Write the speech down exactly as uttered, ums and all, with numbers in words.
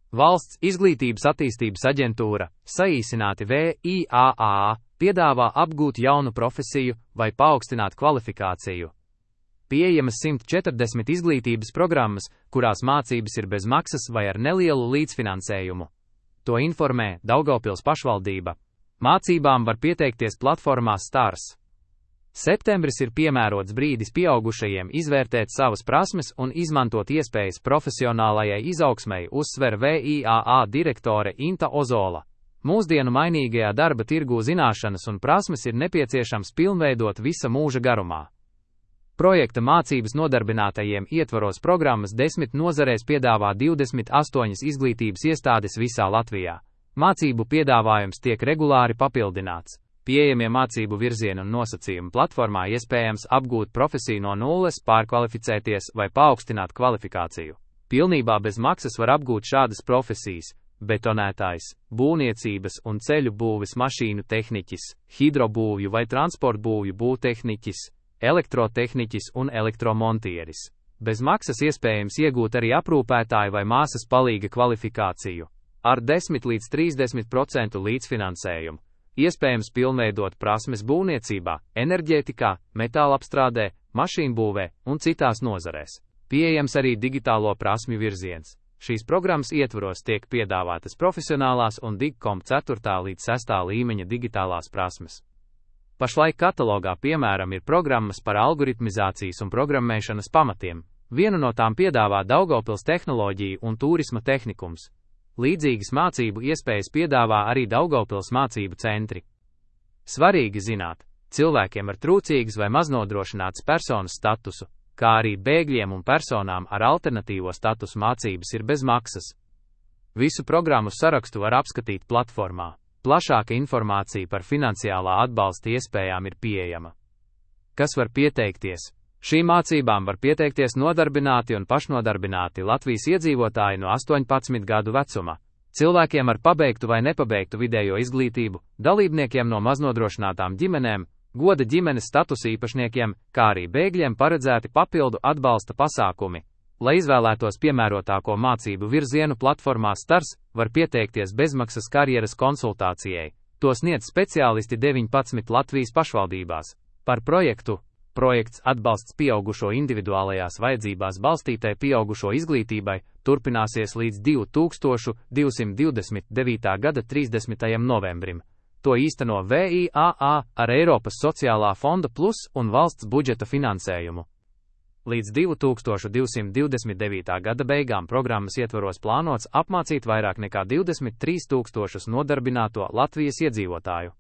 Valsts izglītības attīstības aģentūra, saīsināti V I A A, piedāvā apgūt jaunu profesiju vai paaugstināt kvalifikāciju. Pieejamas simt četrdesmit izglītības programmas, kurās mācības ir bez maksas vai ar nelielu līdzfinansējumu. To informē Daugavpils pašvaldība. Mācībām var pieteikties platformā Stars. Septembris ir piemērots brīdis pieaugušajiem izvērtēt savas prasmes un izmantot iespējas profesionālajai izaugsmei, uzsver V I A A direktore Inta Ozola. Mūsdienu mainīgajā darba tirgū zināšanas un prasmes ir nepieciešams pilnveidot visa mūža garumā. Projekta mācības nodarbinātajiem ietvaros programmas desmit nozarēs piedāvā divdesmit astoņas izglītības iestādes visā Latvijā. Mācību piedāvājums tiek regulāri papildināts. Pieejamie mācību virzieni un nosacījumi platformā iespējams apgūt profesiju no nulles, pārkvalificēties vai paaugstināt kvalifikāciju. Pilnībā bez maksas var apgūt šādas profesijas: betonētājs, būvniecības un ceļu būves mašīnu tehniķis, hidrobūvju vai transportbūvju būvtehniķis, elektrotehniķis un elektromontieris. Bez maksas iespējams iegūt arī aprūpētāju vai māsas palīga kvalifikāciju. Ar desmit līdz trīsdesmit procentu līdzfinansējumu. Iespējams pilnveidot prasmes būvniecībā, enerģētikā, metālapstrādē, mašīnbūvē un citās nozarēs. Pieejams arī digitālo prasmju virziens. Šīs programmas ietvaros tiek piedāvātas profesionālās un Digcom ceturtā līdz sestā līmeņa digitālās prasmes. Pašlaik katalogā piemēram ir programmas par algoritmizācijas un programmēšanas pamatiem. Vienu no tām piedāvā Daugavpils tehnoloģiju un turisma tehnikums. Līdzīgas mācību iespējas piedāvā arī Daugavpils mācību centri. Svarīgi zināt, cilvēkiem ar trūcīgas vai maznodrošinātas personas statusu, kā arī bēgļiem un personām ar alternatīvo statusu mācības ir bez maksas. Visu programmu sarakstu var apskatīt platformā. Plašāka informācija par finansiālā atbalsta iespējām ir pieejama. Kas var pieteikties? Šīm mācībām var pieteikties nodarbināti un pašnodarbināti Latvijas iedzīvotāji no astoņpadsmit gadu vecuma, cilvēkiem ar pabeigtu vai nepabeigtu vidējo izglītību, dalībniekiem no maznodrošinātām ģimenēm, goda ģimenes statusa īpašniekiem, kā arī bēgļiem paredzēti papildu atbalsta pasākumi. Lai izvēlētos piemērotāko mācību virzienu platformā Stars, var pieteikties bezmaksas karjeras konsultācijai. To sniedz speciālisti deviņpadsmit Latvijas pašvaldībās. Par projektu. Projekts atbalsts pieaugušo individuālajās vajadzībās balstītai pieaugušo izglītībai turpināsies līdz divi tūkstoši divsimt devītā gada trīsdesmitajam novembrim. To īsteno V I A A ar Eiropas sociālā fonda plus un valsts budžeta finansējumu. Līdz divi tūkstoši divsimt devītā gada beigām programmas ietvaros plānots apmācīt vairāk nekā divdesmit trīs tūkstošus nodarbināto Latvijas iedzīvotāju.